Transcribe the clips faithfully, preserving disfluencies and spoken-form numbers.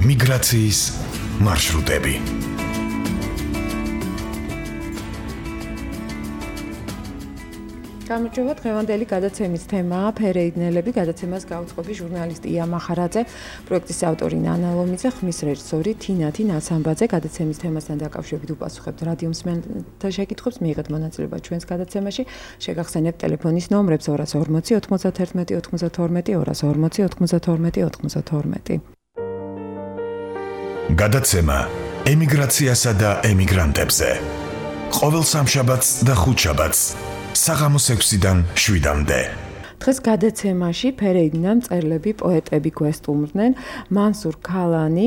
მიგრაციის მარშრუტები. გამარჯობა, დღევანდელი გადაცემის თემაა ფერეიდნელები. გადაცემას გაუწყობი ჟურნალისტი ია მახარაძე, პროექტის ავტორი ნანა ლომიძე, ხმის რეჟისორი თინათი ნაცამბაძე. გადაცემის თემასთან დაკავშირებით უპასუხებთ რადიო მსმენელთა შეკითხვებს, მიიღეთ მონაწილეობა ჩვენს გადაცემაში. შეგახსენებთ ტელეფონის ნომრებს ორას ორმოცი ოთხმოცდათერთმეტი ოთხმოცდათორმეტი, ორას ორმოცი ოთხმოცდათორმეტი ოთხმოცდათორმეტი. გადაცემა ემიგრაციასა და ემიგრანტებზე. ყოველ სამშაბათს და ხუთშაბათს საღამოს ექვსიდან შვიდამდე. დღეს გადაცემაში ფერეიდნელ მწერლები, პოეტები გვესტუმრდნენ. მანსურ ქალანი,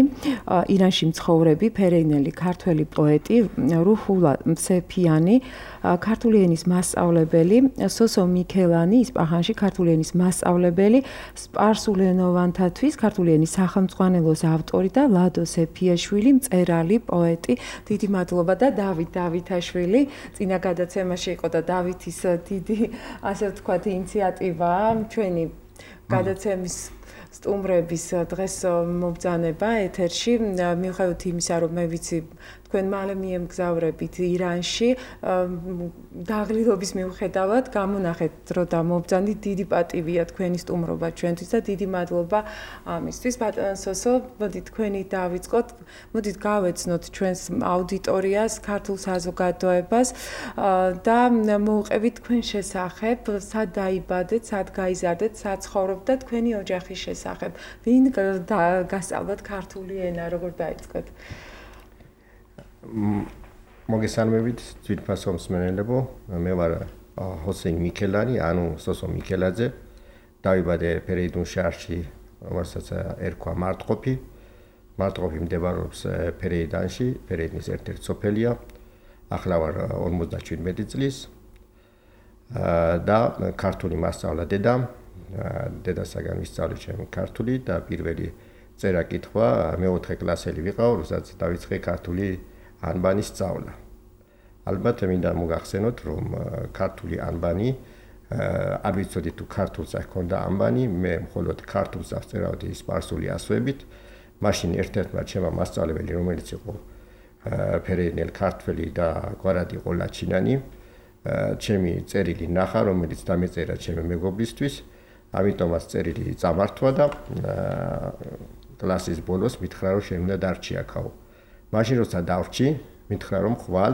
ირანში მცხოვრები ფერეიდნელი ქართველი პოეტი, რუჰულა მსეფიანი, ქართული ენის მასწავლებელი, სოსო მიქელანი, ისპაჰანში ქართული ენის მასწავლებელი, სპარსულენოვანთათვის ქართული ენის სახელმძღვანელოს ავტორი და ლადო სეფიაშვილი, მწერალი, პოეტი. დიდი მადლობა და დავით დავითაშვილი. წინა გადაცემაში იყო და დავითის დიდი, ასე ვთქვათ, ინიციატივა ჩვენი გადაცემის სტუმრების დღეს მობრძანება ეთერში. მიუხედავად იმისა, რომ მე ვიცი თქვენ მალე მიემგზავრებით ირანში, დაღლილობის მიუხედავად გამონახეთ დრო და მობრძანით. დიდი პატივია თქვენი სტუმრობა ჩვენთვის და დიდი მადლობა ამისთვის. ბატონო სოსო, მოდით თქვენი დავიწყოთ. მოდით გავეცნოთ ჩვენს აუდიტორიას, ქართულ საზოგადოებას და მოვუყევით თქვენ შესახებ, სად დაიბადეთ, სად გაიზარდეთ, სად ცხოვრობთ და თქვენი ოჯახის შესახებ. ვინ გასწავლათ ქართული ენა, როგორ დაიწყეთ? მოგესალმებით, ძვირფასო მსმენელებო. მე ვარ ჰოსეინ მიქელანი, ანუ სოსო მიქელაძე. დავიბადე ფერეიდუნ შაჰრში, რომელსაც ერქვა მარტყოფი. მარტყოფი მდებარეობს ფერეიდანში, ფერეიდნის ერთ-ერთი სოფელია. ახლა ვარ ორმოცდაშვიდმეტი წლის და ქართული მასწავლა დედამ. დედასაგან ვისწავლე ჩემი ქართული და პირველი წერა-კითხვა მეოთხე კლასელი ვიყავ, როდესაც დავიწყე ქართული ანბანის სწავლა. ალბათ მინდა მოგახსენოთ, რომ ქართული ანბანი, არ ვიცოდი თუ ქართულს ჰქონდა ანბანი, მე მხოლოდ ქართულს აღწერავდი სპარსული ასოებით. მაშინ ერთ-ერთმა ჩემმა მასწავლებელი, რომელიც იყო ფერეიდნელ ქართველი და გვარად იყო ლაჩინანი, ჩემი წერილი ნახა, რომელიც დამეწერა ჩემი მეგობრისთვის. ამიტომაც წერილი წამართვა და კლასის ბოლოს მითხრა, რომ შენ უნდა დარჩი აქაო. მაშინ როცა დავრჩი, მითხრა, რომ ხვალ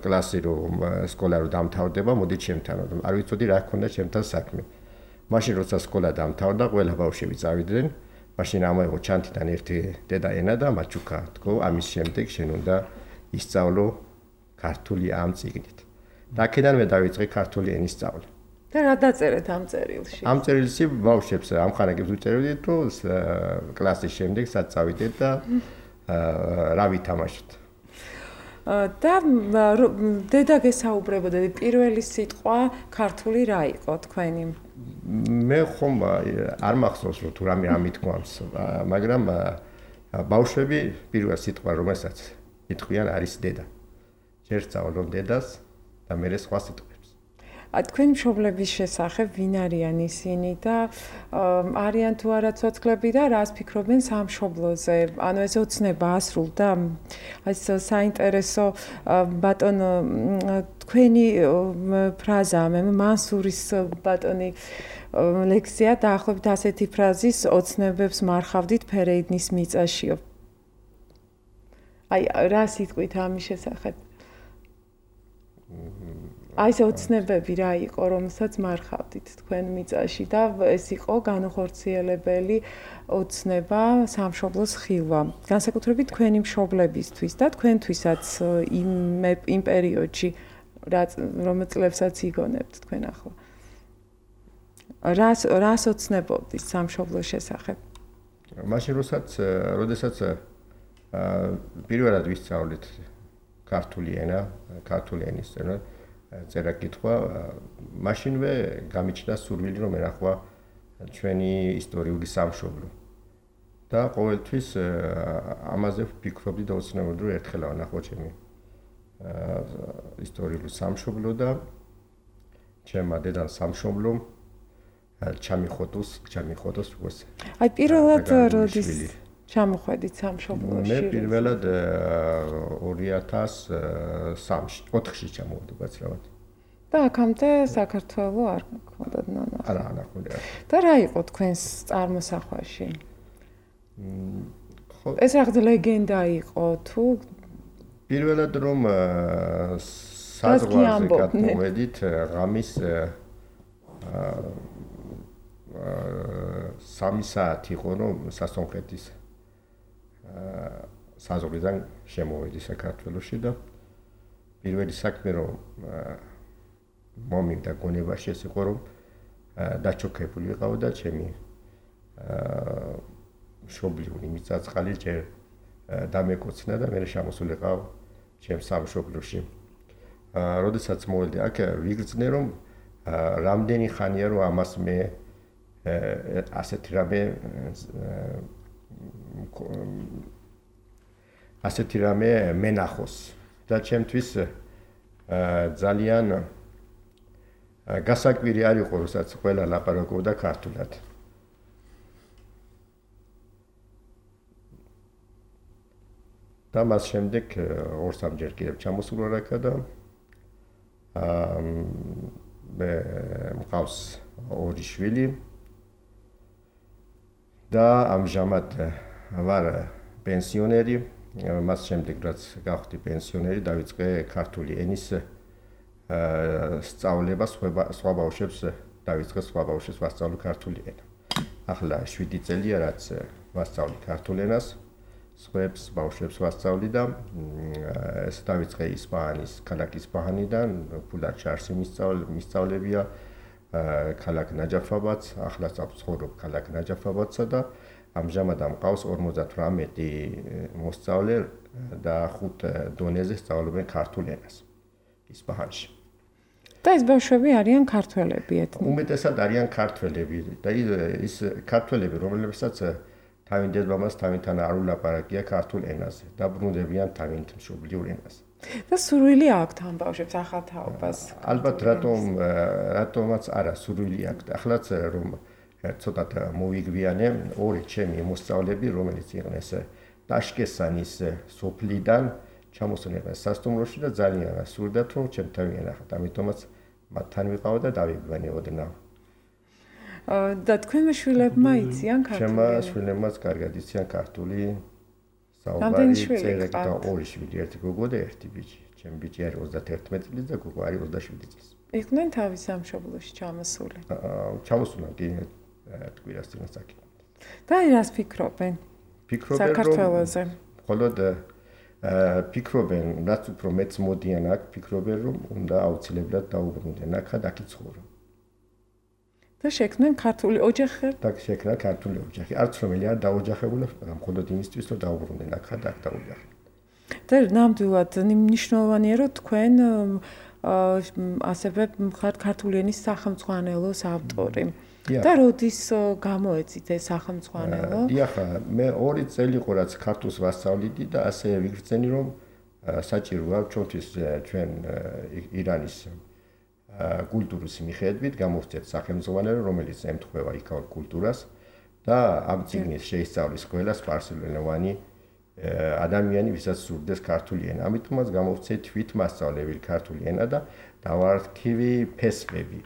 კლასი რომ სკოლა რომ დამთავრდება, მოდი ჩემთან. არ ვიცოდი რა ჰქონდა ჩემთან საქმე. მაშინ როცა სკოლა დამთავრდა, ყველა ბავშვები წავიდნენ. მაშინ ამოიღო ჩანთიდან ერთი დედა ენა და მაჩუკა თქო, ამის შემდეგ შენ უნდა ისწავლო ქართული ამ წიგნით. და აქედან მე დავიწყე ქართული ენის სწავლა. და რა დაწერეთ ამ წერილში? ამ წერილში ბავშვებს ამხანაგებს უწერდით, რომ კლასის შემდეგ სად წავიდეთ და რა ვითამაშოთ. და დედა გესაუბრებოდა, პირველი სიტყვა ქართული რა იყო თქვენი? მე ხომ არ მახსოვს რომ თუ რამე ამით გვამს, მაგრამ ბავშვები პირველ სიტყვა რომელსაც იტყვიან არის დედა. ჯერ სწავლობ დედას და მერე სხვა სიტყვებს. თქვენი მშობლების შესახებ ვინ არიან ისინი და არიან თუ არა ცოცხლები და რას ფიქრობენ სამშობლოზე? ანუ ეს ოცნება ასრულდა. ეს საინტერესო ბატონო თქვენი ფრაზა, მე მანსურის ბატონი ლექსია დაახლოებით ასეთი ფრაზის ოცნებებს მარხავდით ფერეიდნის მიწაშიო. აი რა სიტყვით ამის შესახებ? აი ეს ოცნებები რა იყო, რომელსაც მარხავდით თქვენ მიწაში და ეს იყო განუხორციელებელი ოცნება სამშობლოს ხილვა. განსაკუთრებით თქვენი მშობლებისთვის და თქვენთვისაც იმ იმ პერიოდში, რომელ წლებსაც იგონებთ თქვენ ახლა. რას რას ოცნებობდით სამშობლოს შესახებ? მაშინ როდესაც როდესაც პირველად ვისწავლეთ ქართული ენა, ქართული ენის წერა წერა-კითხვა, მაშინვე გამიჩნდა სურვილი რომ ერახვა ჩვენი ისტორიული სამშობლო. და ყოველთვის ამაზე ვფიქრობდი და ოცნებობდი რომ ერთხელ ავანახო ჩემი ისტორიული სამშობლო და ჩემმა დედამ სამშობლომ ჩამიხოტოს, ჩამიხოტოს როგორც. აი პირველად როდის ჩამოხვედით სამშობლოში? მე პირველად ორი ათას ოთხში ჩამოვედი გაცრავად. და აქამდე საქართველო არ გქონდათ ნანა. არა, არა, ხოდა. და რა იყო თქვენს წარმოსახვაში? ეს რაღაც ლეგენდა იყო თუ პირველად რომ საზღვარზე გადმოვედით ღამის სამი საათი იყო რომ სასონხეთის საზღვრიდან შემოვედი საქართველოში და პირველი საქმე რომ მომი და გონებაში ეს იყო რომ დაჩოქებული ვიყავ და ჩემი მშობლიური მიწაწყალი ჯერ დამეკოცნა და მე შემოსულიყავ ჩემს სამშობლოში. როდესაც მოვედი აქ ვიგრძნე რომ რამდენი ხანია რომ ამას მე ასეთი რამე ასეთი რამე მენახოს და ჩემთვის ძალიან გასაკვირი არ იყო როსაც ყველა ლაპარაკობდა ქართულად. და მას შემდეგ ორ-სამჯერ კიდევ ჩამოსულა რაკა და აა მე მყავს ორი შვილი და ამჟამად ვარ პენსიონერი. მას შემდეგ რაც გავხდი პენსიონერი დავიწყე ქართული ენის სწავლება სხვა ბავშვებს დავიწყე სხვა ბავშვებს ვასწავლო ქართული ენა. ახლა შვიდი წელია რაც ვასწავლი ქართულ ენას. სხვებს ბავშვებს ვასწავლი და ეს დავიწყე ისპანის ქალაქ ისპანიიდან ფულად ჩარსი მისწავლებია ქალაქ ნაჯაფაბადს ახლა ვცხოვრობ ქალაქ ნაჯაფაბადსა და ამჟამად ამყავს ორმოცდათვრამეტი მოსწავლე და ხუთ დონეზე სწავლობენ ქართულ ენას ისპანში. და ეს ბავშვები არიან ქართველები ეთნიკურად? უმეტესად არიან ქართველები და ის ქართველები რომელებსაც თავინდელ მამას თავინთან არ ულაპარაკია ქართულ ენაზე და ბრუნდებიან თავინთ მშობლიურ ენაზე. და სურვილი აქვთ ამ ბავშვებს ახალ თაობას? ალბათ რატომ რატომაც არა სურვილი აქვთ. ახლაც რომ ცოტათ მოვიგვიანე ორი ჩემი მოსწავლეები რომელიც იყვნენ ეს ტაშკესანის სოფლიდან ჩამოსულიყავენ სასტუმროში და ძალიან სურდათ რომ ჩემთან ვიენახათ. ამიტომაც მათთან ვიყავ და დავიგვიანებოდნავ. და თქვენმა შვილებმა იციან ქართული? ჩემმა შვილებმაც კარგად იციან ქართული საუბარი წერა და ორი შვილი, ერთი გოგო და ერთი ბიჭი. ჩემი ბიჭი არის ოცდაერთმეტი წლის და გოგო არის ოცდაშვიდი წლის. იყვნენ თავის სამშობლოში ჩამოსული? ჩამოსულან კი თკვირას წინას აქ. და რას ფიქრობენ? ფიქრობენ საქართველოზე. მხოლოდ ფიქრობენ, რაც უფრო მეც მოდიან აქ, ფიქრობენ რომ უნდა აუცილებლად დაუბრუნდნენ აქ და აქ იცხოვრონ. და შექმნენ ქართული ოჯახი? და შექმნა ქართული ოჯახი. არც რომელი არ დაოჯახებულა, მხოლოდ იმისთვის რომ დაუბრუნდნენ აქ და აქ დაოჯახდნენ. და ნამდვილად მნიშვნელოვანია რომ თქვენ ასევე ხართ ქართული ენის სახელმძღვანელოს ავტორი. და როდის გამოეცით ეს სახელმძღვანელო? დიახ, მე ორი წელი იყო რაც ქართულს ვასწავლიდი და ასე ვიგრძენი რომ საჭიროა ჩვენთვის ჩვენ ირანის კულტურის მიხედვით გამოვცეთ სახელმძღვანელო რომელიც ემთხვევა იქაურ კულტურას და ამ წიგნის შეისწავლის ყველა სპარსულენოვანი ადამიანი ვისაც სურდეს ქართული ენა. ამიტომაც გამოვცეთ თვით მასწავლებელი ქართული ენა და დავარქივი ფესვები.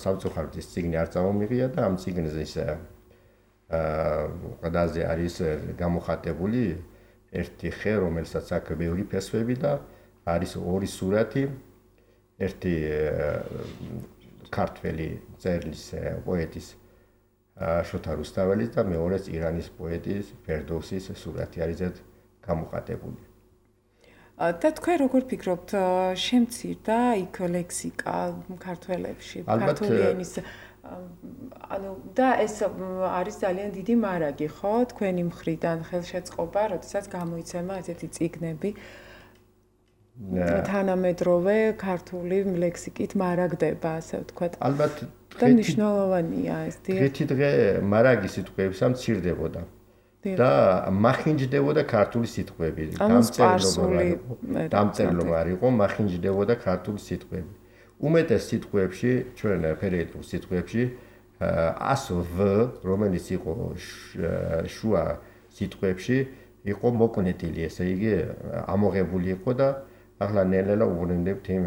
სამწუხაროდ ეს წიგნი არ წამომიღია და ამ წიგნზე ის ყდაზე არის გამოხატებული ერთი ხე რომელსაც აქვს ბევრი ფესვები და არის ორი სურათი ერთი ქართველი წერლის პოეტის შოთა რუსთაველის და მეორეც ირანის პოეტის ფერდოვსის სურათი არის ეს გამოხატებული. და თქვენ როგორ ფიქრობთ, შემცირდა იქ ლექსიკა ქართველებში, ქართული ენის ანუ და ეს არის ძალიან დიდი მარაგი, ხო? თქვენი მხრიდან ხელშეწყობა, როდესაც გამოიცემა ესეთი წიგნები თანამედროვე ქართული ლექსიკით მარაგდება, ასე ვთქვათ. ალბათ და მნიშვნელოვანია ეს. დღეთი დღე მარაგი სიტყვებისა მცირდებოდა. და მახინჯდებოდა ქართული სიტყვები. დამწერლობა არ იყო, მახინჯდებოდა ქართული სიტყვები. უმეტეს სიტყვებში, ჩვენ ფერეიდურ სიტყვებში, ასო ვ, რომელიც იყო შუა სიტყვებში იყო მოკუნეტილი, ესე იგი ამოღებული იყო და ახლა ნელ-ნელა უბრუნდებთ იმ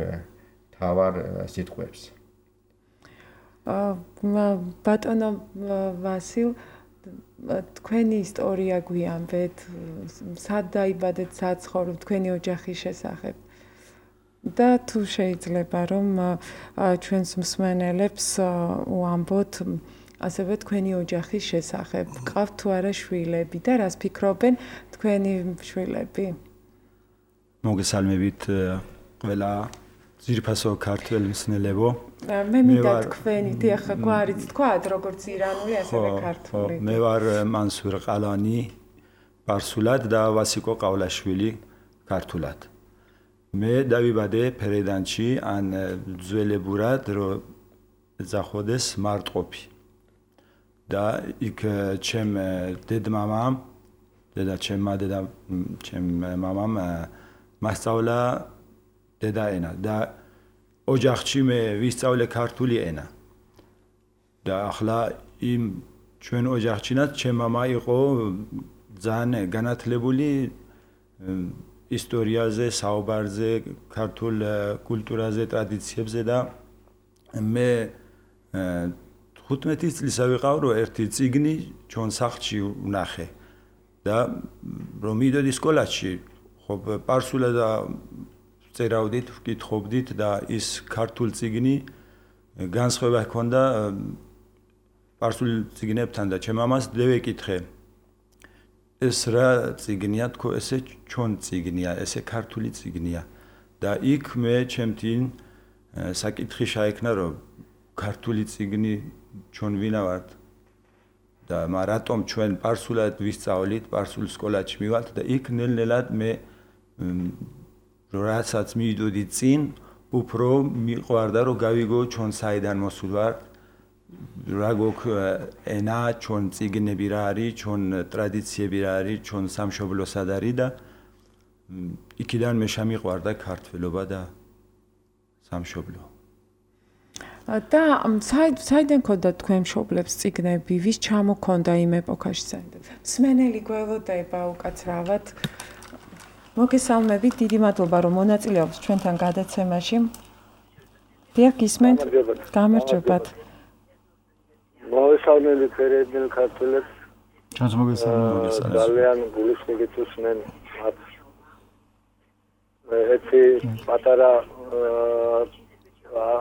თავარ სიტყვებს. ბატონო ვასილ, თქვენი ისტორია გვიამბეთ, სად დაიბადეთ, სად ცხოვრობთ, თქვენი ოჯახის შესახებ. და თუ შეიძლება რომ ჩვენს მსმენელებს უამბოთ ასევე თქვენი ოჯახის შესახებ. გყავთ თუ არა შვილები და რას ფიქრობენ თქვენი შვილები? მოგესალმებით ყველა ძირფასო ქართველ მსმენელებო. მე მინდა თქვენი, დიახ, გვარიც თქვათ, როგორც ირანული, ასევე ქართული. მე ვარ მანსურ ყალანი პარსულად და ვასიკო ყავლაშვილი ქართულად. მე დავიბადე ფერედანში, ან ძველებურად რო ზახოდეს მარტყოფი. და იქ ჩემ დედმამამ, დედა ჩემმა დედა ჩემ მამამ მასწავლა დედა ენა და ოჯახში მე ვისწავლე ქართული ენა. და ახლა იმ ჩვენ ოჯახშინაც ჩემ მამა იყო ძალიან განათლებული ისტორიაზე, საუბარზე, ქართულ კულტურაზე, ტრადიციებზე და მე ხუთმეტი წლისა ვიყავ, რომ ერთი წიგნი ჩვენ სახლში ვნახე და რომ მივიდოდი სკოლაში, ხო პარსულად წერავდით, ვკითხობდით და ის ქართულ წიგნი განსხვავება ჰქონდა პარსულ წიგნებთან და ჩემ მამას დევეკითხე ეს რა წიგნია, თქო, ესე ჩვენ წიგნია, ესე ქართული წიგნია და იქ მე ჩემთინ საკითხი შეექმნა, რომ ქართული წიგნი ჩვენ ვინა ვართ და მაგრამ რატომ ჩვენ პარსულად ვისწავლით, პარსულ სკოლაში მივალთ და იქ ნელ-ნელად მე რასაც მივიდოდი წინ, უფრო მიყვარდა, რომ გავიგო ჩვენ საიდან მოსულ ვართ, რა გვაქვს ენა, ჩვენ წიგნები რა არის, ჩვენ ტრადიციები რა არის, ჩვენ სამშობლო სად არის და იქიდან მე შემიყვარდა ქართველობა და სამშობლო. და საიდან ქონდა თქვენ მშობლებს წიგნები, ვის ჩამოქონდა იმ ეპოქაში საერთოდ? მსმენელი გველოდება უკაცრავად. მოგესალმებით, დიდი მადლობა რომ მონაწილეობს ჩვენთან გადაცემაში. დიახ, გისმენთ? გამარჯობათ. მოგესალმებით ფერედნელ ქართველებს. ჩვენს მოგესალმებით. ძალიან გულისხმობით უსმენ მათ. ერთი პატარა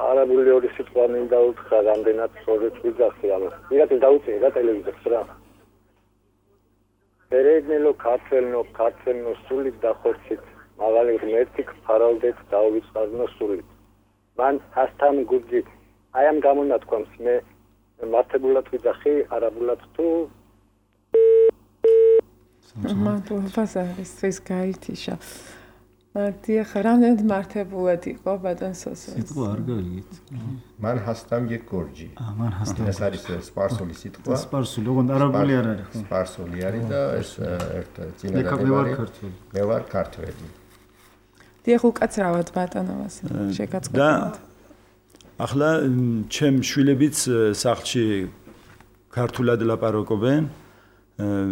არაბული ორი სიტყვა მინდა უთხრა, რამდენად სწორად ვიძახი ამას. ვიღაც დაუწიე რა ტელევიზორს რა. ფერედნელო ქართველნო, ქართველნო სულით დახორცით, მაღალი ღმერთი გფარავდეთ დაუვიწყარნო სულით. მან ჰასთან გუძით. აი ამ გამონათქვამს მე მართებულად ვიძახი, არაბულად თუ მადლობა ზარისთვის გაითიშა. დიახ, რამდენად მართებულად იყო ბატონ სოსო? სიტყვა არ გაიგეთ. მან ჰასტამ გე გორჯი. აა, მან ჰასტამ. ეს არის სპარსული სიტყვა. სპარსული, ოღონდ არაბული არ არის. სპარსული არის და ეს ერთ მე ვარ ქართველი. მე ვარ ქართველი. დიახ, უკაცრავად ბატონო ვასილ, შეგაწყობთ. და ახლა ჩემ შვილებიც სახლში ქართულად ლაპარაკობენ.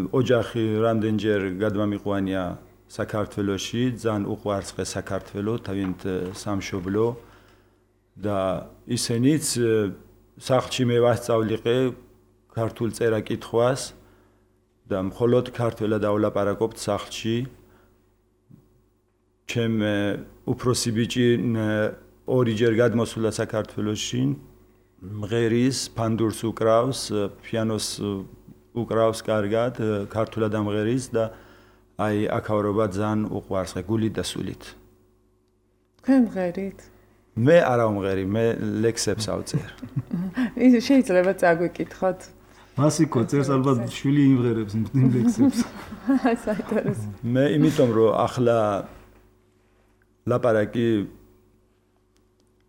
ოჯახი რამდენჯერ გადმამიყვანია საქართველოში, ძალიან უყვარს საქართველო, თავიანთ სამშობლო და ისინიც სახლში მე ვასწავლიყე ქართულ წერა-კითხვას და მხოლოდ ქართულადავლაპარაკობთ სახლში. ჩემ უფროსი ბიჭი ორიჯერ გადმოსულა საქართველოში, მღერის, ფანდურს უკრავს, პიანოს უკრავს კარგად, ქართულად ამღერის და აი აქავრობა ძალიან უყვარს, გულით და სულით. თქვენ მღერით? მე არა ვმღერი, მე ლექსებს ავწერ. ის შეიძლება წაგვიკითხოთ. მასიკო წერს ალბათ შვილი იმღერებს იმ ლექსებს. საინტერესო. მე იმიტომ რომ ახლა ლაპარაკი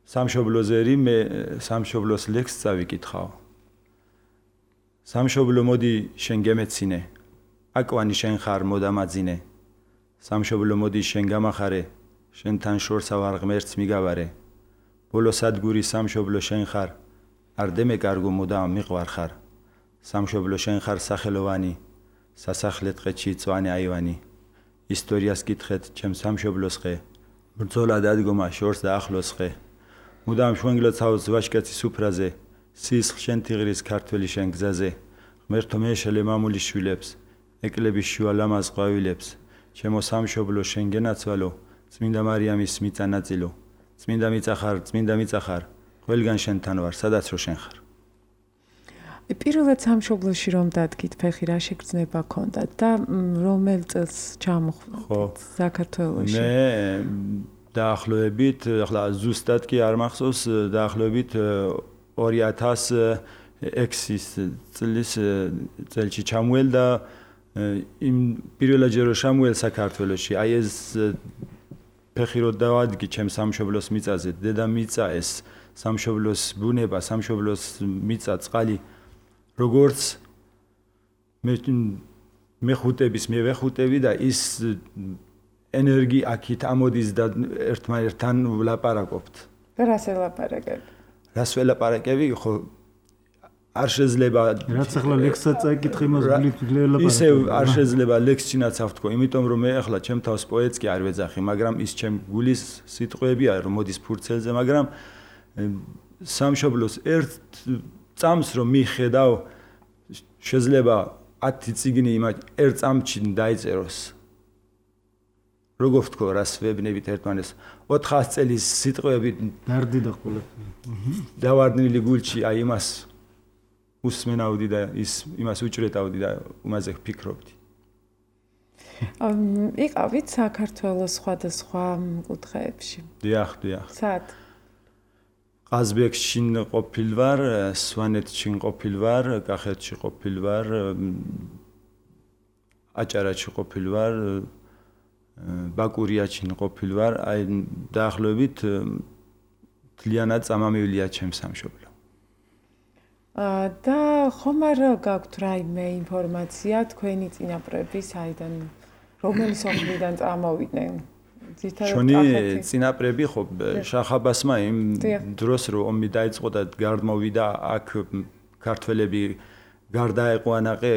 სამშობლოზერი, მე სამშობლოს ლექს წავიკითხავ. სამშობლო მოდი შენ გემეცინე. აკვანი შენ ხარ მოდამაძინე. სამშობლო მოდი შენ გამახარე. შენთან შორსა ვარ ღმერთს მიგავარე. ბოლო სადგური სამშობლო შენ ხარ. არ დემეკარგო მოდამ მიყვარ ხარ. სამშობლო შენ ხარ სახელოვანი. სასახლე ტყეთში წვანე აივანი ისტორიას კითხეთ ჩემ სამშობლოს ხე ბრძოლა დადგომა შორს და ახლოს ხე მუდამ შვენგლოცავს ვაშკაცის უფრაზე სისხლ შენ თიღრის ქართველი შენ გზაზე ღმერთო მეშელე მამული შვილებს ეკლების შუა ლამაზ ყვავილებს ჩემო სამშობლო შენ გენაცვალო წმინდა მარიამის მიწა ნაწილო წმინდა მიწა ხარ წმინდა მიწა ხარ ყველგან შენთან ვარ სადაც რო შენ ხარ პირველად სამშობლოში რომ დადგით ფეხი რა შეგრძნება ქონდათ და რომელ წელს ჩამოხვდით საქართველოში მე დაახლოებით ახლა ზუსტად კი არ მახსოვს დაახლოებით ორი ათას ექვსი წლის წელში ჩამოვალ და იმ პირველად ჯერ შემოვალ საქართველოში აი ეს ფეხი რო დავადგი ჩემ სამშობლოს მიწაზე დედა მიწა ეს სამშობლოს ბუნება სამშობლოს მიწა წყალი როგორც მე მეხუტების მე ვეხუტები და ის ენერგი აქით ამოდის და ერთმანეთთან ვლაპარაკობთ რას ელაპარაკებ რას ველაპარაკები ხო არ შეიძლება რაც ახლა ლექსსაც წაიკითხე იმას გულით ველაპარაკებ ისე არ შეიძლება ლექსჩინაც ავთქო იმიტომ რომ მე ახლა ჩემ თავს პოეტს კი არ ვეძახი მაგრამ ის ჩემ გულის სიტყვებია რომ მოდის ფურცელზე მაგრამ სამშობლოს ერთ წამს რომ მიხედავ შეიძლება ათი წიგნი იმ ერთ წამში დაიწეროს როგორ ვთქო რას ვებნებით ერთმანეს ოთხას წელის სიტყვები დარდი და ყველაფერი დავარდნილი გულში აი იმას უსმენავდი და ის იმას უჭრეტავდი და იმაზე ვფიქრობდი იყავით საქართველოს სხვადასხვა კუთხეებში დიახ დიახ სად ყაზბეგში ყოფილვარ სვანეთში ყოფილვარ კახეთში ყოფილვარ აჭარაში ყოფილვარ ბაკურიაში ყოფილვარ აი დაახლოებით თლიანად წამამივლია ჩემ სამშობლო და ხომ არ გაქვთ რაიმე ინფორმაცია თქვენი წინაპრები საიდან რომელი სოფლიდან წამოვიდნენ ჩვენი წინაპრები ხო შახაბასმა იმ დროს რომ ომი დაიწყო და გარდმოვიდა აქ ქართველები გარდაეყვანაყე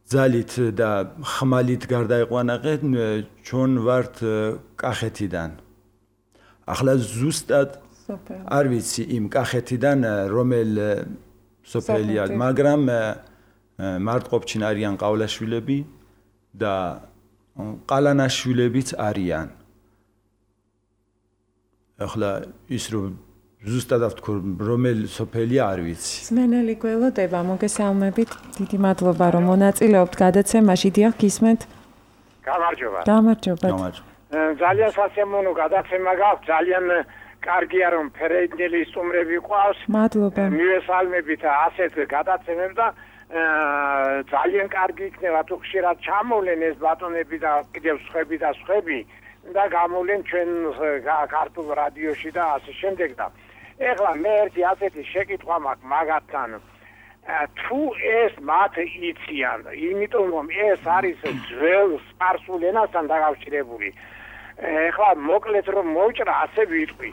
ძალით და ხმალით გარდაეყვანაყე ჩვენ ვართ კახეთიდან ახლა ზუსტად არ ვიცი იმ კახეთიდან რომელ სოფელია მაგრამ მარტყოფჩინ არიან ყავლაშვილები და ყალანაშვილებიც არიან ახლა ის რომ ზუსტად ვთქო რომელ სოფელია არ ვიცი სმენელი გველოდება მოგესალმებით დიდი მადლობა რომ მონაწილეობთ გადაცემაში დიახ გისმენთ გამარჯობა გამარჯობა ძალიან სასიამოვნო გადაცემა გაქვთ ძალიან კარგია რომ ფერეიდნელი სტუმრები ყავს მადლობა მივესალმებით ასეთ გადაცემებს და ძალიან კარგი იქნება თუ ხშირად ჩამოვლენ ეს ბატონები და კიდევ სხვები და სხვები და გამოვლენ ჩვენ ქართულ რადიოში და ასე შემდეგ და ეხლა მე ერთი ასეთი შეკითხვა მაქვს მაგათთან თუ ეს მათ იციან იმიტომ რომ ეს არის ძველ სპარსულ ენასთან დაკავშირებული ეხლა მოკლედ რომ მოვჭრა ასე ვიტყვი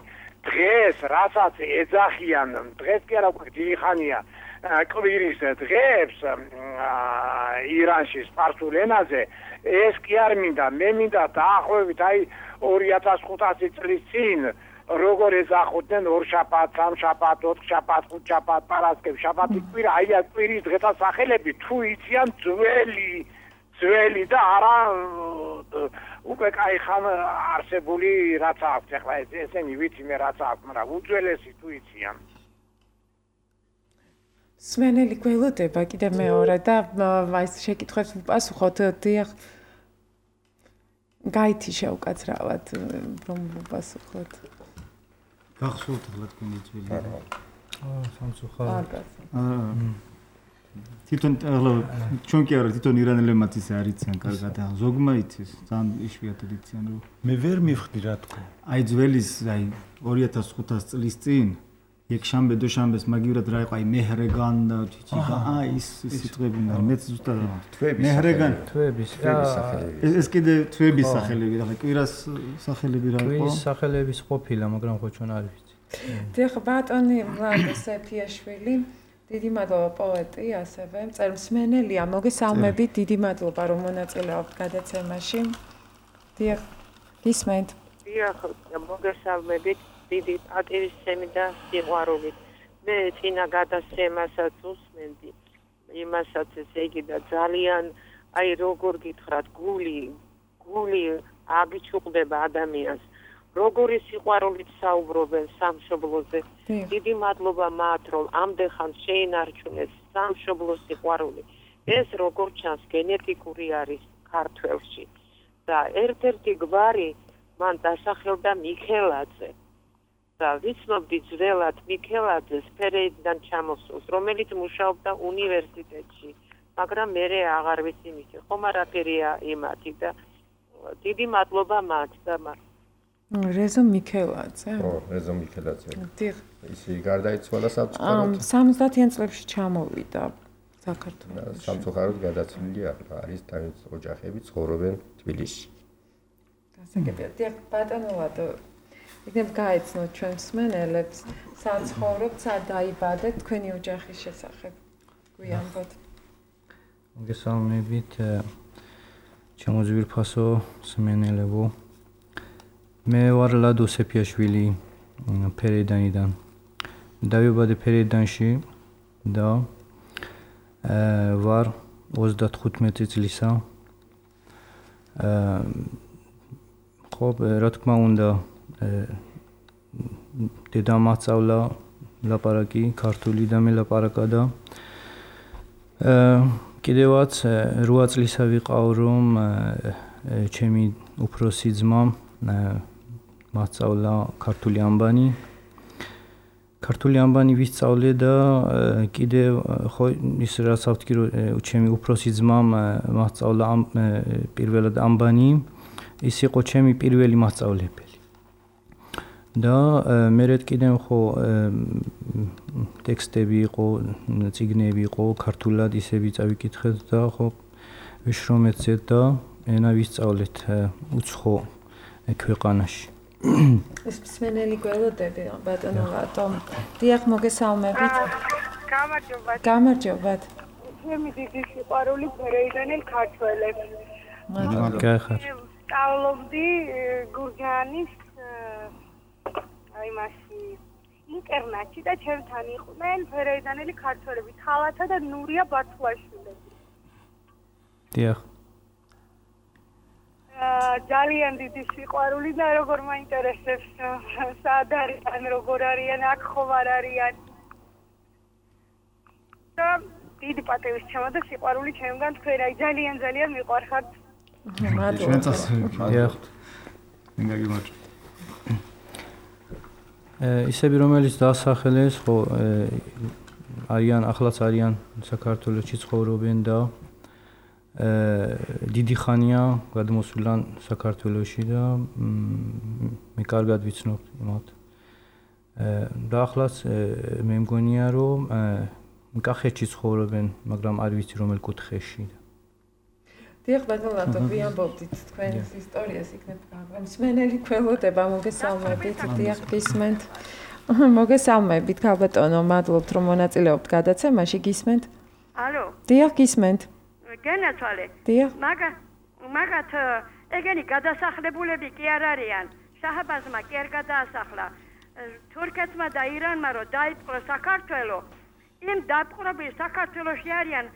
დღეს რასაც ეძახიან დღეს კი არა უკვე დიდი ხანია კვირის დღეებს ირანში სპარსულ ენაზე ეს კი არ მინდა მე მინდა დაახლოებით აი ორი ათას ხუთასი წლის წინ როგორ ეძახოდნენ ორშაბათ, სამშაბათ, ოთხშაბათ, ხუთშაბათ, პარასკევ, შაბათი კვირა აი ამ კვირის დღეთა სახელები თუ იციან ძველი ძველი და არა უკვე კაი ხან არსებული რაც აქვს ახლა ესენი ვიცი მე რაც აქვს მაგრამ უძველესი თუ იციან სმენელი გველოდება კიდე მეორე და აი შეკითხვებს ვუპასუხოთ დიახ გაითი შევკაცრავად რომ ვუპასუხოთ გახსოვთ ახლა თქვენი ძველი აა სამწუხაროდ აა თვითონ ახლა ჩვენ კი არა თვითონ ირანელებმაც ისე არ იციან კარგად ზოგმა იცის ძალიან იშვიათად იციან რომ მე ვერ მივხვდი რა თქო აი ძველის აი ორი ათას ხუთას წლის წინ იეკშანბე დოშანბეს მაგივრად რა იყო აი მეჰრეგან და ჩიჩიკა აი ის სიტყვები მაგრამ მეც ზუსტად მეჰრეგან თვების სახელები ეს კიდე თვების სახელები ახლა კვირას სახელები რა იყო კვირის სახელების ყოფილა მაგრამ ხო ჩვენ არ ვიცი დიახ ბატონი ვლადო სეფიაშვილი დიდი მადლობა პოეტი, ასევე მწერლმსმენელია, მოგესალმებით, დიდი მადლობა რომ მონაწილეობთ გადაცემაში. დიახ, გისმენთ. დიახ, მოგესალმებით, დიდი პატივისცემი და სიყვარულით. მე წინა გადაცემასაც უსმენდი, იმასაც ესე იგი და ძალიან აი როგორ გითხრათ, გული, გული აგიჩუყდება ადამიანს. როგორი სიყვარულით საუბრობენ სამშობლოზე. დიდი მადლობა მათ, რომ ამდენ შეინარჩუნეს სამშობლოს სიყვარული. ეს როგორ ჩანს გენეტიკური არის ქართველში. და ერთ-ერთი გვარი მან დასახელდა მიქელაძე. და ვიცნობდი ძველად მიქელაძეს ფერეიდიდან ჩამოსულს, რომელიც მუშაობდა უნივერსიტეტში, მაგრამ მე აღარ ვიცი მისი ხომ არაფერია იმათი და დიდი მადლობა მათ და მათ. რეზო მიქელაძე. ო, რეზო მიქელაძე. დიახ. ისი გარდაიცვალა სამწუხაროდ. სამოცდაათიან წლებში ჩამოვიდა საქართველოში. სამწუხაროდ გადაცვლილი არის თავის ოჯახები ცხოვრობენ თბილისში. გასაგებია. დიახ, ბატონო, იქნებ გაეცნოთ ჩვენ მსმენელებს, სად ცხოვრობთ, სად დაიბადეთ, თქვენი ოჯახის შესახებ. გვიამბოთ. მოგესალმებით, ჩემოძვირფასო მსმენელებო. მე ვარ ლადო სეფიაშვილი ფერეიდანიდან. დავიბადე ფერეიდანში და ვარ ოცდათხუთმეტი წლისა. ხო, რა თქმა უნდა, დედამ მასწავლა ლაპარაკი ქართული და მე ლაპარაკა და კიდევაც რვა წლისა ვიყავ, რომ ჩემი უფროსი ძმა მასწავლა ქართული ამბანი. ქართული ამბანი ვისწავლე და კიდევ ხო ის რაც ავთქი რომ ჩემი უფროსი ძმამ მასწავლა პირველად ამბანი, ის იყო ჩემი პირველი მასწავლებელი. და მერე კიდევ ხო ტექსტები იყო, წიგნები იყო ქართულად ისე ვიწავიკითხეთ და ხო ვიშრომეცეთ და ენა ვისწავლეთ უცხო ქვეყანაში. ეს მსმენელი გველოდები ბატონო ლატომ. დიახ, მოგესალმებით. გამარჯობათ. გამარჯობათ. ჩემი დიდი სიყვარული ფერეიდანელ ქართველებს. მადლობა. სწავლობდი გურჯაანის აი მასი ინტერნატში და ჩემთან იყვნენ ფერეიდანელი ქართველები, ხალათა და ნურია ბათუაშვილები. დიახ. ძალიან დიდი სიყვარული და როგორ მაინტერესებს სად არიან, როგორ არიან, აქ ხომ არ არიან. და დიდი პატივისცემა და სიყვარული ჩემგან თქვენ აი ძალიან ძალიან მიყვარხართ. მადლობა. დიახ. მიგაგიმარჯ. ისები რომელიც დაასახელეს, ხო არიან ახლაც არიან საქართველოში ცხოვრობენ და დიდი ხანია გადმოსულან საქართველოში და მე კარგად ვიცნობ მათ. და ახლაც მე მგონია რომ კახეთში ცხოვრობენ, მაგრამ არ ვიცი რომელ კუთხეში. დიახ, ბატონო, გვიამბობდით თქვენს ისტორიას იქნებ გაგა. მსმენელი გველოდება, მოგესალმებით. დიახ, გისმენთ. მოგესალმებით, ბატონო, მადლობთ რომ მონაწილეობთ გადაცემაში, გისმენთ? ალო. დიახ, გისმენთ. გენაცვალე. დიახ. მაგა მაგათ ეგენი გადასახლებულები კი არ არიან. შაჰბაზმა კი არ გადაასახლა. თურქეთმა და ირანმა რო დაიპყრო საქართველო, იმ დაპყრობილ საქართველოში არიან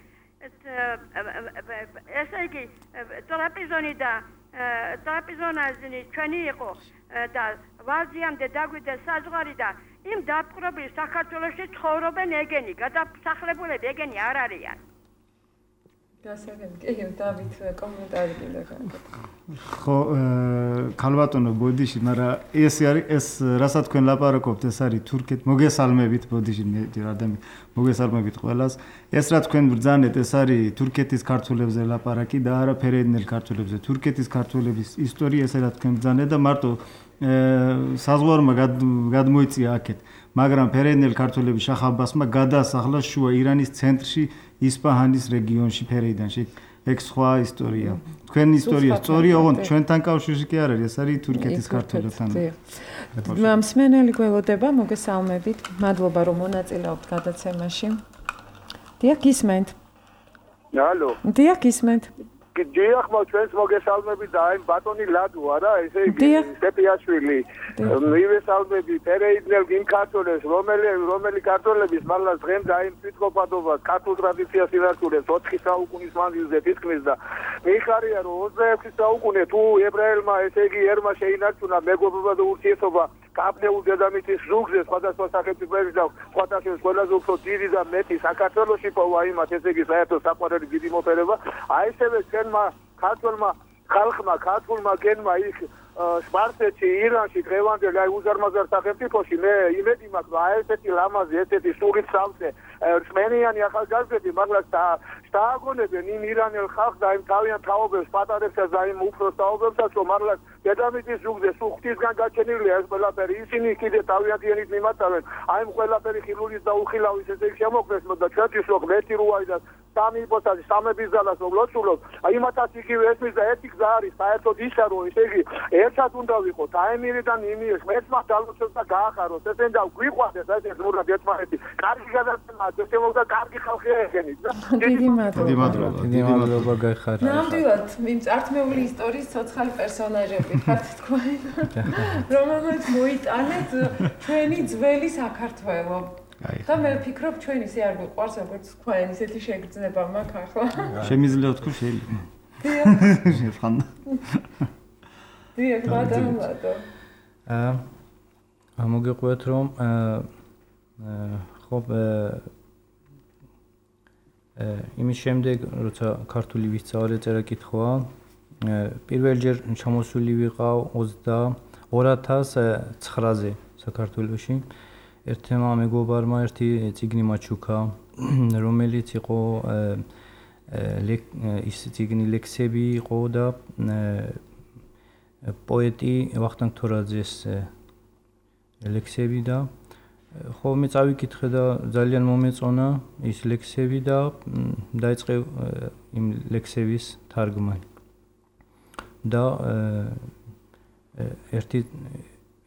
ესე იგი ტრაპიზონი და ტრაპიზონაზი ჩვენი იყო და ვაზიამდე დაგვიდა საზღვარი და იმ დაპყრობილ საქართველოში ცხოვრობენ ეგენი, გადასახლებულები ეგენი არ არიან. გასაგებია, დავით კომენტარი კიდე გაკეთე. ხო, ქალბატონო ბოდიში, მაგრამ ეს არის ეს რასაც თქვენ ლაპარაკობთ, ეს არის თურქეთ მოგესალმებით ბოდიში ადამიანი მოგესალმებით ყველას. ეს რა თქვენ ბრძანეთ, ეს არის თურქეთის ქართველებზე ლაპარაკი და არა ფერეიდნელ ქართველებზე. თურქეთის ქართველების ისტორია ესე რა თქვენ ბრძანეთ და მარტო საზღვარმა გადმოიწია აქეთ, მაგრამ ფერეიდნელ ქართველები შაჰ აბასმა გადაასახლა შუა ირანის ცენტრში ისპაჰანის რეგიონში ფერეიდანში. ეგ სხვა ისტორია. თქვენ ისტორია სწორია, ოღონდ ჩვენთან კავშირში კი არ არის, ეს არის თურქეთის ქართველებთან. მსმენელი გველოდება, მოგესალმებით. მადლობა რომ მონაწილეობთ გადაცემაში. დიახ, გისმენთ. ალო. დიახ, გისმენთ. დიახ, ჩვენს მოგესალმები და აი ბატონი ლადო არა, ესე იგი სტეპიაშვილი. მივესალმები პერეიდნელ იმ ქართველებს, რომელი რომელი ქართველების მართლა დღემ დაიმ თვითყოფადობა ქართულ ტრადიციას ინარჩუნებს ოთხი საუკუნის მანძილზე თითქმის და მიხარია რომ ოცდაექვსი საუკუნე თუ ებრაელმა ესე იგი ერმა შეინარჩუნა მეგობრობა და ურთიერთობა კაპნეულ დედამიწის ზუგზე სხვადასხვა სახელმწიფოების და სხვადასხვა ყველაზე უფრო დიდი და მეტი საქართველოში პოვა იმათ ესე იგი საერთოდ საყვარელი დიდი მოფერება აი ესევე ჩვენმა ქართველმა ხალხმა ქართულმა გენმა იქ სპარსეთში, ირანში, დღევანდელ აი უზარმაზარ სახელმწიფოში მე იმედი მაქვს, რომ აი ესეთი ლამაზი, ესეთი სულით სავსე რწმენიანი ახალგაზრდები მაგას დააგონებენ იმ ირანელ ხალხს და იმ თავიანთ თაობებს, პატარებსაც და იმ უფროს თაობებსაც, რომ მაგას დედამიწის ზუგზე სულ ღვთისგან გაჩენილია ეს ყველაფერი. ისინი კიდე თავიანთიანით მიმატავენ. აი ამ ყველაფერი ხილულის და უხილავის ესე შემოქმნეს და ჩვენთვის რო ღმერთი რუაი და სამი იპოთაზი სამების ძალას რომ ლოცულობ, აი იმათაც იგივე ესმის და ერთი გზა არის საერთოდ ისა რომ ესე იგი ერთად უნდა ვიყოთ აემირიდან იმიერს ერთმა დალოცოს და გაახაროს ესენ და გვიყვარდეს აი ეს ნურა ერთმანეთი კარგი გადაცემა შემოგდა კარგი ხალხი ეგენით და დიდი მადლობა დიდი მადლობა დიდი მადლობა გაიხარა ნამდვილად იმ წართმეული ისტორიის ცოცხალი პერსონაჟები ხართ თქვენ რომელმაც მოიტანეთ ჩვენი ძველი საქართველო და მე ვფიქრობ ჩვენ ისე არ გვიყვარს როგორც თქვენ ისეთი შეგრძნება მაქვს ახლა შემიძლია ვთქვი შეიძლება შეხან დიახ ბატონო აა მოგიყვეთ რომ ხო იმის შემდეგ როცა ქართული ვისწავლე წერა კითხვა პირველჯერ ჩამოსული ვიყავ ოცდაორ ათას ცხრაზე საქართველოში ერთმა მეგობარმა ერთი წიგნი მაჩუქა რომელიც იყო ის წიგნი ლექსები იყო და პოეტი ვახტანგ თორაძეს ლექსები და ხო მე წავიკითხე და ძალიან მომეწონა ის ლექსები და დაიწყე იმ ლექსების თარგმნა და ერთი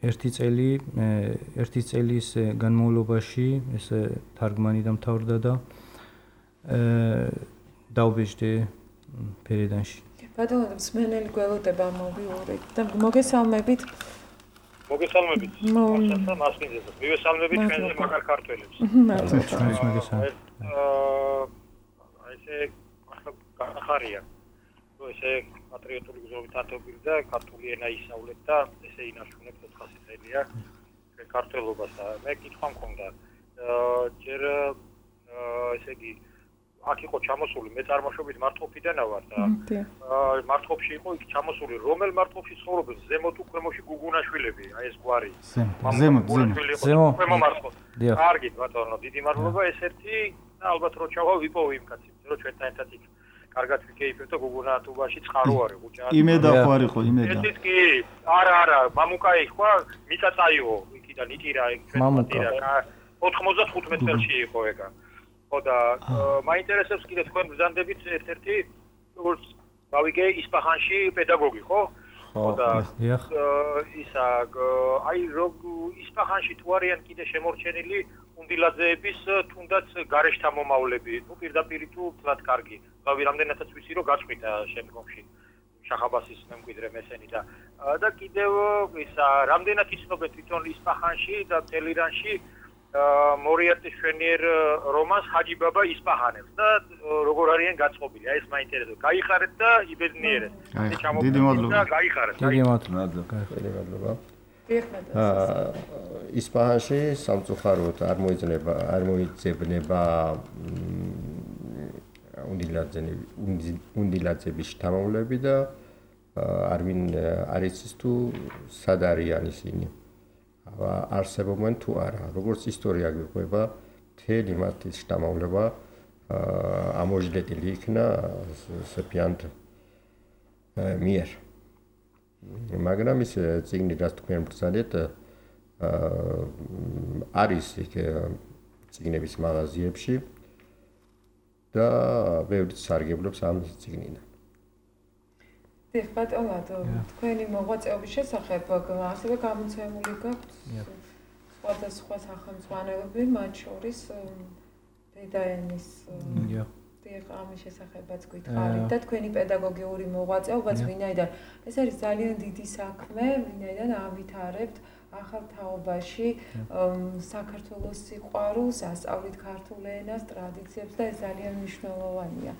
ერთი წელი ერთი წელის განმავლობაში ეს თარგმანი დამთავრდა და დავბეჭდე ფერედანში. ბატონო, მსმენელი გველოდება მოვიურეთ და მოგესალმებით. მოგესალმებით. მასათა მასპინძელს. მივესალმებით ჩვენზე მაგარ ქართველებს. მადლობა ჩვენს მოგესალმებით. აა ესე ახარია. ესე პატრიოტული გზობით ათობილ და ქართული ენა ისავლებ და ესე ინარჩუნებ ოთხასი წელია ქართველობას და მე კითხვა მქონდა ჯერ ესე იგი აქ იყო ჩამოსული მე წარმოშობით მარტყოფიდანა ვარ და მარტყოფში იყო იქ ჩამოსული რომელ მარტყოფში ცხოვრობენ ზემოთ თუ ქვემოში გუგუნაშვილები აი ეს გვარი ზემოთ ზემოთ ქვემო მარტყოფ კარგი ბატონო დიდი მადლობა ეს ერთი და ალბათ რო ჩავა ვიპოვო იმ კაცებს რო ჩვენთან ერთად იქ კარგად ვიკეიფებ და გუგუნათობაში წყარო არის ხუჭა. იმედა ხო არის ხო იმედა. ესეც კი არა არა მამუკაი ხო მიწაწაიო იქიდან იტირა მამუკა ოთხმოცდათხუთმეტ წელში იყო ეგა. ხო და მაინტერესებს კიდე თქვენ ბრძანდებით ერთ-ერთი როგორც გავიგე ისპაჰანში პედაგოგი ხო? ხო და ისა აი როგ ისპაჰანში თუ არიან კიდე შემორჩენილი უნდილაძეების თუნდაც გარეშთა მომავლები, ну პირდაპირ თუ თლად კარგი. რავი რამდენადაც ვიცი რომ გაწყვიტა შემდგომში შახაბასის მემკვიდრე მესენი და და კიდევ ისა რამდენად იცნობენ თვითონ ისპაჰანში და ტელირანში მორიარტის შვენიერ რომანს ჰაჯი ბაბა ისპაჰანებს და როგორ არიან გაწყობილი. აი ეს მაინტერესებს. გაიხარეთ და იბედნიერეთ. დიდი მადლობა. გაიხარეთ. დიდი მადლობა. დიდი მადლობა. ისპაჰანში სამწუხაროდ არ მოიძნება არ მოიძებნება უნდილაძების შთამომავლები და არვინ არ იცის თუ სად არიან ისინი არსებობენ თუ არა როგორც ისტორია გვიყვება მთელი მათი შთამომავლობა ამოждდილი იქნა სეფიანთ მიერ მაგრამ ის წიგნი რაც თქვენ ბრძანეთ არის იქ წიგნების მაღაზიებში და ბევრი სარგებლობს ამ წიგნიდან. დიახ, ბატონო, თქვენი მოღვაწეობის შესახებ ასევე გამოცემული გაქვთ სხვადასხვა სახელმწიფოები, მათ შორის და ენის დიახ, ამის შესახებაც გითხარით და თქვენი პედაგოგიური მოღვაწეობაც ვინაიდან ეს არის ძალიან დიდი საქმე, ვინაიდან ავითარებთ ახალ თაობაში საქართველოს სიყვარულს, ასწავლით ქართულ ენას, ტრადიციებს და ეს ძალიან მნიშვნელოვანია.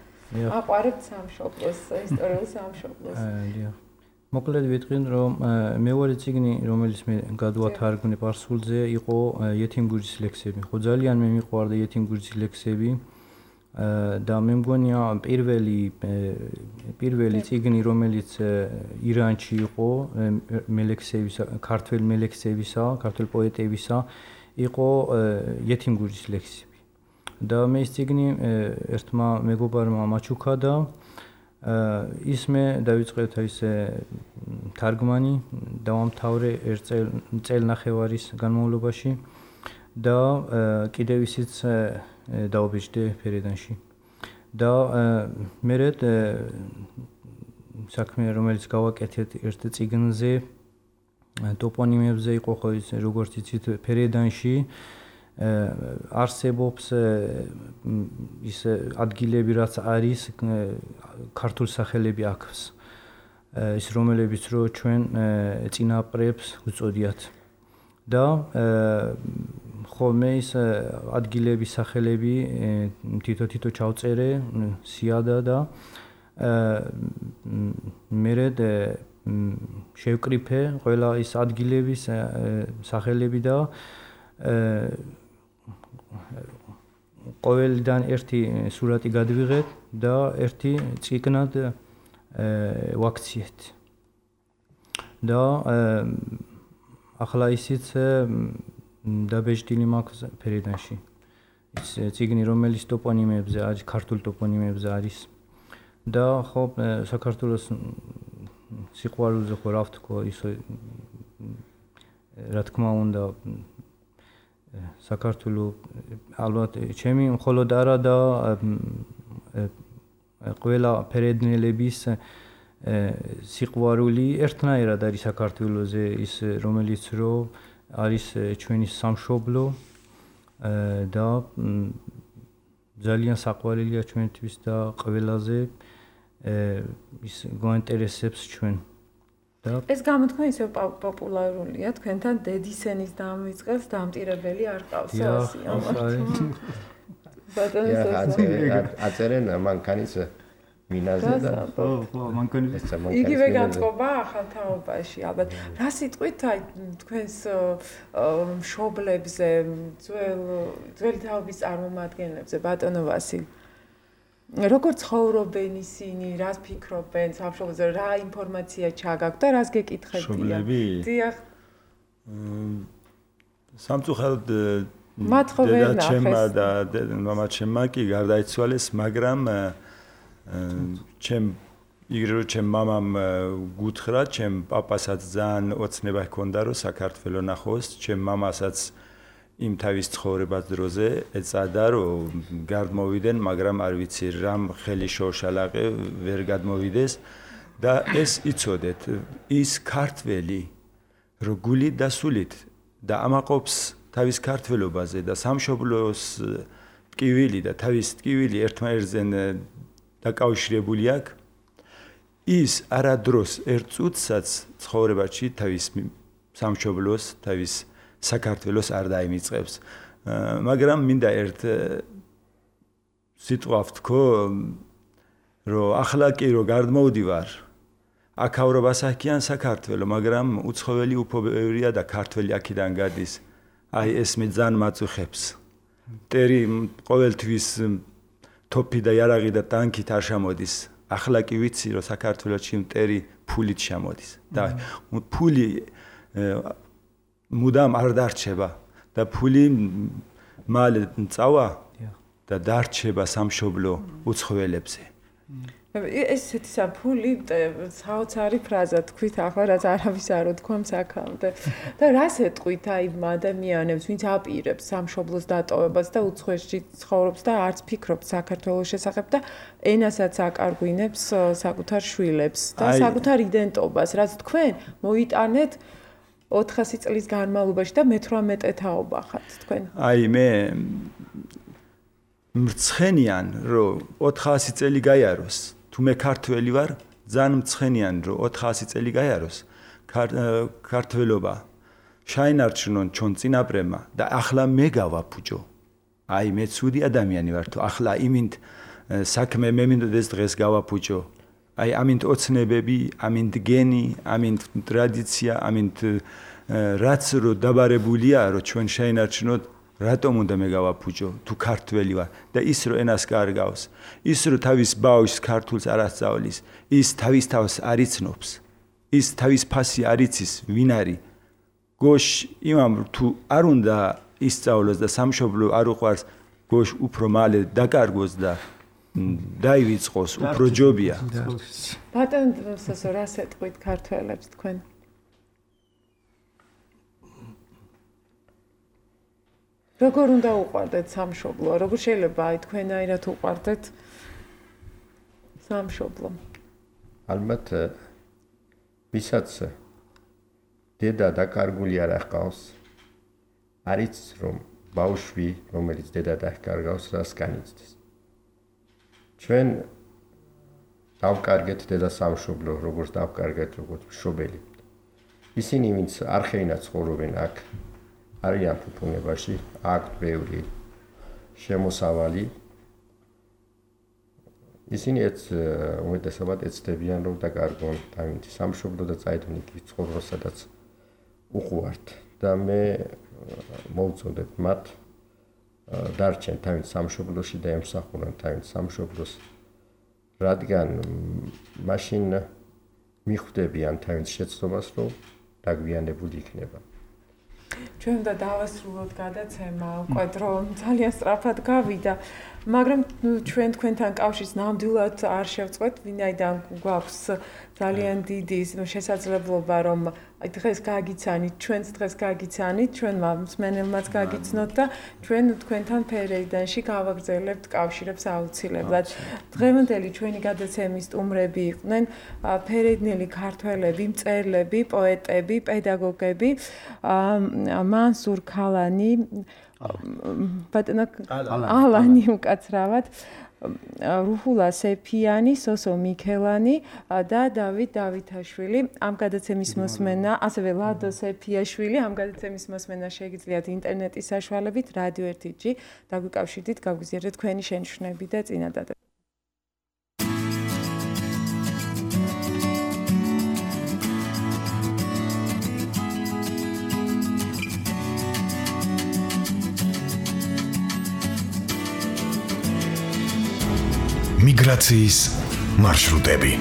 აყვარებთ სამშობლოს, ისტორიულ სამშობლოს. დიახ. მოკლედ ვიტყვი, რომ მეორე წიგნი, რომელიც მე გადავათარგმნე პარსულზე, იყო იეთიმგუჯის ლექსები. ხო ძალიან მე მიყვარდა იეთიმგუჯის ლექსები. და მე მგონია პირველი პირველი წიგნი, რომელიც ირანში იყო მელექსებისა, ქართველ მელექსებისა, ქართველ პოეტებისა, იყო იეთიმგუჯის ლექსები. და მე ეს წიგნი ერთმა მეგობარმა მაჩუქა და ის მე დავიწყეთ ის თარგმანი, დავამთავრე ერთ წელნახევარის განმავლობაში და კიდევ ისიც დაობეჭდე ფერედანში. და მერე საქმე, რომელიც გავაკეთეთ ერთ წიგნზე, ტოპონიმებზე იყო ხო ის, როგორც იცით, ფერედანში არსებობს ის ადგილები, რაც არის ქართულ სახელები აქვს. ის რომელებიც რო ჩვენ წინაპრებს უწოდიათ. და ხოლმე ის ადგილების სახელები თითო-თითო ჩავწერე, სიადა და მერე შევკრიფე ყველა ის ადგილების სახელები და ყოველიდან ერთი სურათი გადვიღეთ და ერთი წიგნად ვაქციეთ. და ახლა ისიც დაბეჭდილი მაქვს ფერედანში. ის წიგნი, რომელიც ტოპონიმებზე არის, ქართულ ტოპონიმებზე არის. და ხო საქართველოს სიყვარულზე ხო რა ვთქვა, ისე რა თქმა უნდა საქართველოს ალბათ ჩემი მხოლოდ არა და ყველა ფერედნელების სიყვარული ერთნაირად არის საქართველოზე, ის რომელიც რო არის ჩვენი სამშობლო და ძალიან საყვარელია ჩვენთვის და ყველაზე ის გვაინტერესებს ჩვენ. ეს გამოთქმა ისე პოპულარულია, თქვენთან დედისენის დამვიწყებს დამტირებელი არ ყავს ასი ამათ. აწერენ მანქანის მინაზე და ხო, ხო, მანქანის იგივე განწყობა ახალ თაობაში. ალბათ რა სიტყვით აი თქვენს მშობლებზე, ძველ ძველი თაობის წარმომადგენლებზე, ბატონო ვასილი, როგორ ცხოვრობენ ისინი, რას ფიქრობენ სამშობლოზე, რა ინფორმაცია ჩაგაქვთ და რას გეკითხებიან? მშობლები? დიახ. სამწუხაროდ მათ ხო ვერ ნახეს. ჩემმა და მამაჩემმა კი გარდაიცვალეს, მაგრამ ჩემ იგივე რომ ჩემ მამამ გუთხრა, ჩემ პაპასაც ძალიან ოცნება ჰქონდა რომ საქართველო ნახოს, ჩემ მამასაც იმ თავის ცხოვრებას დროზე ეწადა რომ გადმოვიდნენ, მაგრამ არ ვიცი რამ ხელი შორშალაყე ვერ გადმოვიდეს და ეს იცოდეთ, ის ქართველი რო გულით და სულით და ამაყობს თავის ქართველობაზე და სამშობლოს ტკივილი და თავის ტკივილი ერთმანეთზე დაკავშირებული აქვს, ის არადროს ერთ წუთსაც ცხოვრებაში თავის სამშობლოს, თავის საქართველოს არ დაიმიწყებს. მაგრამ მინდა ერთ სიტყვა ვთქო, რომ ახლა კი რო გადმოვდივარ, აქაურო ბასაკიან საქართველო, მაგრამ უცხოელი უფრო ბევრია და ქართველი აქედან გადის. აი ეს მე ძალიან მაწუხებს. მტერი ყოველთვის თოფი და იარაღი და ტანკით არ შემოდის. ახლა კი ვიცი, რომ საქართველოში მტერი ფულით შემოდის. და ფული მუდამ არ დარჩება და ფული მალე წავა და დარჩება სამშობლო უცხოელებზე. ესეთი საფული საოცარი ფრაზა თქვით ახლა, რაც არავის არ უთქვამს აქამდე. და რას ეტყვით აი ადამიანებს, ვინც აპირებს სამშობლოს დატოვებას და უცხოეთში ცხოვრობს და არც ფიქრობს საქართველოს შესახებ და ენასაც აკარგვინებს საკუთარ შვილებს და საკუთარ იდენტობას, რაც თქვენ მოიტანეთ ოთხასი წლის განმავლობაში და მეთვრამეტე თაობა ხართ თქვენ. აი მე მრცხენიან რომ ოთხასი წელი გაიაროს თუ მე ქართველი ვარ ძალიან მრცხენიან რომ ოთხასი წელი გაიაროს ქართველობა შაინარჩუნონ ჩვენ წინაპრებმა და ახლა მე გავაფუჭო აი მე ცუდი ადამიანი ვარ თუ ახლა იმით საქმე მე მინდოდეს დღეს გავაფუჭო აი ამით ოცნებები ამით გენი ამით ტრადიცია ამით რაც რო დაბარებულია რომ ჩვენ შაინარჩუნოთ რატომ უნდა მე გავაფუჭო თუ ქართველი ვარ და ის რო ენას კარგავს ის რო თავის ბავშვს ქართულს არ ასწავლის ის თავის თავს არ იცნობს ის თავის ფასი არ იცის ვინ არის გოშ იმამ თუ არ უნდა ისწავლოს და სამშობლო არ უყვარს გოშ უფრო მალე დაკარგოს და დაივიწყოს უფრო ჯობია ბატონო სასო რას ეტყვით ქართველებს თქვენ როგორ უნდა უყვარდეთ სამშობლო? როგორ შეიძლება აი თქვენაირად უყვარდეთ სამშობლო? ალბათ ვისაც დედა დაკარგული არ ახყავს, არის რომ ბავშვი, რომელიც დედა დაკარგავს, რას განიცდის. ჩვენ დავკარგეთ დედა სამშობლო, როგორც დავკარგეთ როგორც მშობელი. ისინი ვინც არხეინად ცხოვრობენ აქ არიან ფუფუნებაში, აქვთ ბევრი შემოსავალი. ისინი ეც უმეტესობად ეცდებიან რომ დაკარგონ თავისი სამშობლო და წაედონ იქ ცხოვრებას, სადაც უყვართ. და მე მოვწოდებ მათ დარჩენ თავის სამშობლოში და ემსახურონ თავის სამშობლოს, რადგან მაშინ მიხვდებიან თავის შეცდომას, რომ დაგვიანებული იქნება. ჩვენ და დავასრულოთ გადაცემა, უკვე რომ ძალიან სწრაფად გავიდა, მაგრამ ჩვენ თქვენთან კავშირს ნამდვილად არ შევწყვეთ, ვინაიდან გვაქვს ძალიან დიდი შესაძლებლობა, რომ დღეს გაგიცანით, ჩვენს დღეს გაგიცანით, ჩვენმა მსმენელმაც გაგიცნოთ და ჩვენ თქვენთან ფერეიდანში გავაგრძელებთ კავშირებს აუცილებლად. დღევანდელი ჩვენი გადაცემის სტუმრები იყვნენ ფერეიდნელი ქართველები, მწერლები, პოეტები, პედაგოგები, მანსურ ქალანი, ბატონო ალანი უკაცრავად, რუჰულა სეფიანი, სოსო მიქელანი და დავით დავითაშვილი. ამ გადაცემის მოსმენა, ასევე ლადო სეფიაშვილი, ამ გადაცემის მოსმენა შეგიძლიათ ინტერნეტის საშუალებით რადიო ერთი ჯი დაგვიკავშირდით, გავგზავნეთ თქვენი შენიშვნები და წინადადები. მიგრაციის მარშრუტები